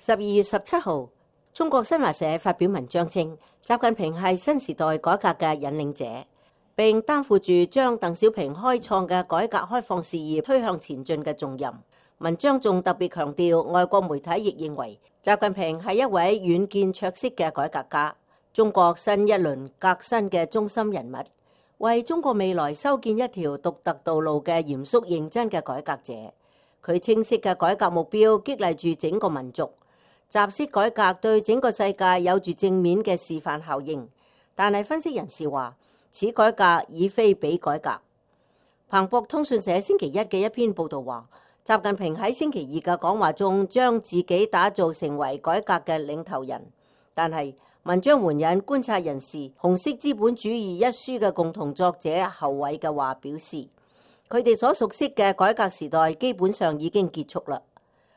12月17號，中國新華社發表文章稱，習近平係新時代改革嘅引領者，並擔負住將鄧小平開創嘅改革開放事業推向前進嘅重任。文章仲特別強調，外國媒體亦認為習近平係一位遠見卓識嘅改革家，中國新一輪革新嘅中心人物，為中國未來修建一條獨特道路嘅嚴肅認真嘅改革者。佢清晰嘅改革目標激勵住整個民族。集式改革對整個世界有住正面嘅示範效應，但係分析人士話，此改革已非彼改革。彭博通訊社星期一嘅一篇報導話，習近平喺星期二嘅講話中將自己打造成為改革嘅領頭人，但係文章援引觀察人士《紅色資本主義》一書嘅共同作者侯偉嘅話表示，佢哋所熟悉嘅改革時代基本上已經結束啦。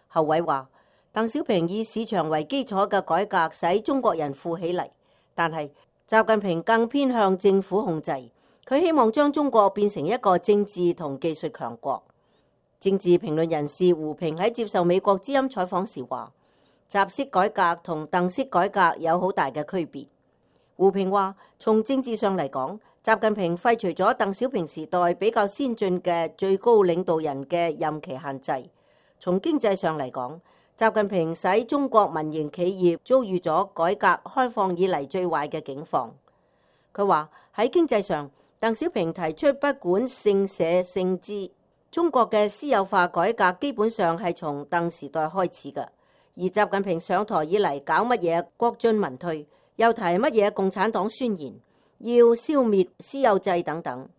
侯偉話，鄧小平以市場為基礎嘅改革使中國人富起嚟，但係習近平更偏向政府控制，佢希望將中國變成一個政治同技術強國。政治評論人士胡平喺接受美國之音採訪時話，習式改革同鄧式改革有好大嘅區別。胡平話，從政治上嚟講，習近平廢除咗鄧小平時代比較先進嘅最高領導人嘅任期限制。從經濟上嚟講，習近平使中國民營企業遭遇咗改革開放以嚟最壞嘅境況。佢話喺經濟上，鄧小平提出不管姓社姓資，中國嘅私有化改革基本上係從鄧時代開始嘅。而習近平上台以嚟搞乜嘢國進民退，又提乜嘢共產黨宣言，要消滅私有制等等。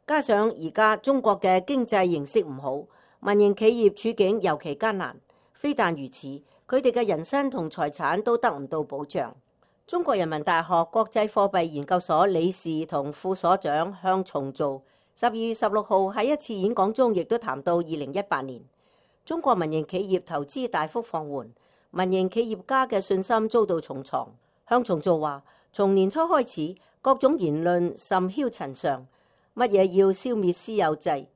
加上而家中國嘅經濟形勢唔好，民營企業處境尤其艱難。非但如此，佢哋嘅人身同財產都得唔到保障。中國人民大學國際貨幣研究所理事同副所長向重造12月16號喺一次演講中，亦都談到2018年中國民營企業投資大幅放緩，民營企業家嘅信心遭到重創。向重造話，從年初開始，各種言論甚囂塵上，乜嘢要消滅私有制，乜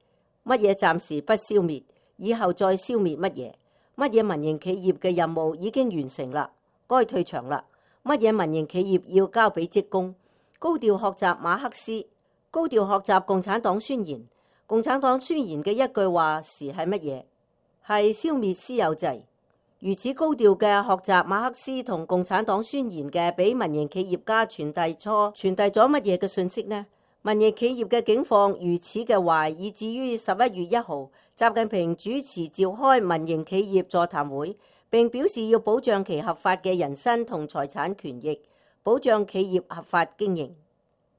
嘢暫時不消滅，以後再消滅乜嘢。乜嘢民營企業嘅任務已經完成啦，該退場啦。乜嘢民營企業要交俾職工，高調學習馬克思，高調學習共產黨宣言。共產黨宣言嘅一句話是係乜嘢？係消滅私有制。如此高調嘅學習馬克思同共產黨宣言嘅，俾民營企業家傳遞咗乜嘢嘅信息呢？民營企業嘅境況如此嘅壞，以至於11月1號，習近平主持召開民營企業座談會，並表示要保障其合法嘅人身同財產權益，保障企業合法經營。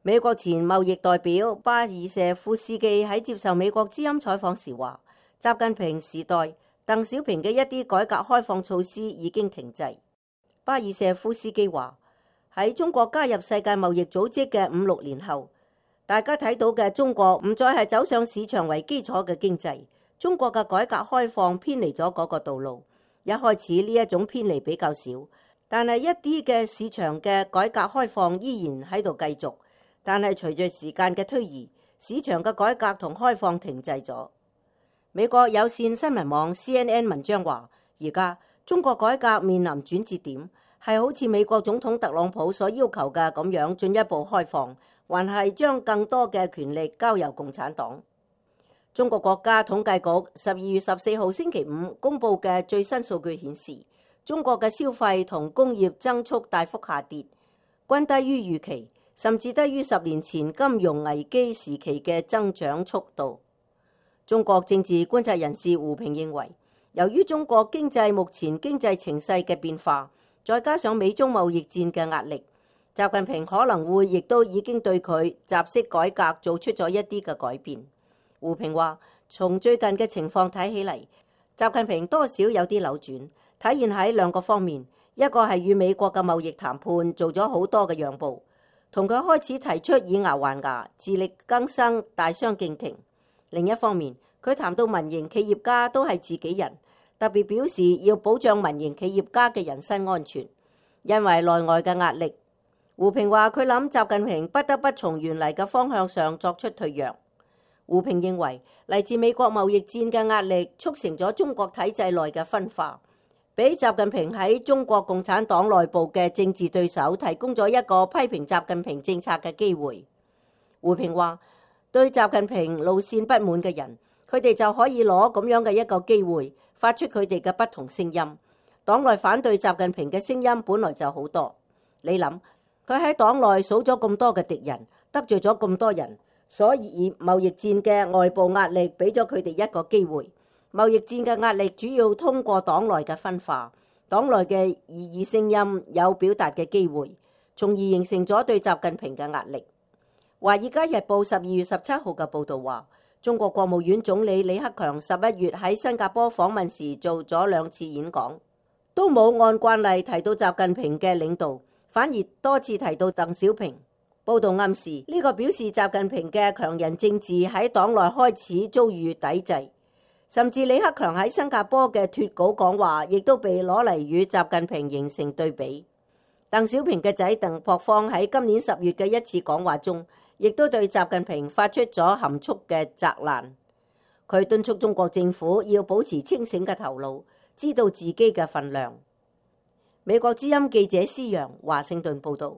美國前貿易代表巴爾謝夫斯基喺接受美國之音採訪時話，習近平時代鄧小平嘅一啲改革開放措施已經停滯。巴爾謝夫斯基話，喺中國加入世界貿易組織嘅5-6年後，大家睇到嘅中國唔再係走上市場為基礎嘅經濟，中國嘅改革開放偏離咗嗰個道路。一開始呢一種偏離比較少，但係一啲嘅市場嘅改革開放依然喺度繼續。但係隨着時間嘅推移，市場嘅改革同開放停滯咗。美國有線新聞網 CNN 文章話，而家中國改革面臨轉折點，係好似美國總統特朗普所要求嘅咁樣進一步開放，還係將更多嘅權力交由共產黨。中國國家統計局12月14號星期五公佈嘅最新數據顯示，中國嘅消費同工業增速大幅下跌，均低於預期，甚至低於10年前金融危機時期嘅增長速度。中國政治觀察人士胡平認為，由於中國經濟目前經濟情勢嘅變化，再加上美中貿易戰嘅壓力，習近平可能會亦都已經對佢習式改革做出咗一啲嘅改變。胡平話，從最近嘅情況睇起嚟，習近平多少有啲扭轉，體現喺兩個方面，一個係與美國嘅貿易談判做咗好多嘅讓步，同佢開始提出以牙還牙、自力更生大相徑庭。另一方面，佢談到民營企業家都係自己人，特別表示要保障民營企業家嘅人身安全，因為內外嘅壓力。胡平話，佢諗習近平不得不從原嚟嘅方向上作出退讓。胡平認為，嚟自美國貿易戰嘅壓力促成咗中國體制內嘅分化，俾習近平喺中國共產黨內部嘅政治對手提供咗一個批評習近平政策嘅機會。胡平話：對習近平路線不滿嘅人，佢哋就可以攞咁樣嘅一個機會，發出佢哋嘅不同聲音。黨內反對習近平嘅聲音本來就好多，你諗佢喺黨內數咗咁多嘅敵人，得罪咗咁多人，所以貿易戰嘅外部壓力俾咗佢哋一個機會。貿易戰嘅壓力主要通過黨內嘅分化，黨內嘅異議聲音有表達嘅機會，從而形成咗對習近平嘅壓力。華爾街日報12月17號嘅報導話，中國國務院總理李克強11月喺新加坡訪問時做咗2次演講，都冇按慣例提到習近平嘅領導，反而多次提到鄧小平。報導暗示呢個表示習近平嘅強人政治喺黨內開始遭遇抵制。甚至李克強喺新加坡嘅脫稿講話，亦都被攞嚟與習近平形成對比。鄧小平嘅仔鄧樸方喺今年10月嘅一次講話中，亦都對習近平發出咗含蓄嘅責難。佢敦促中國政府要保持清醒嘅頭腦，知道自己嘅份量。美國之音記者施洋華盛頓報導。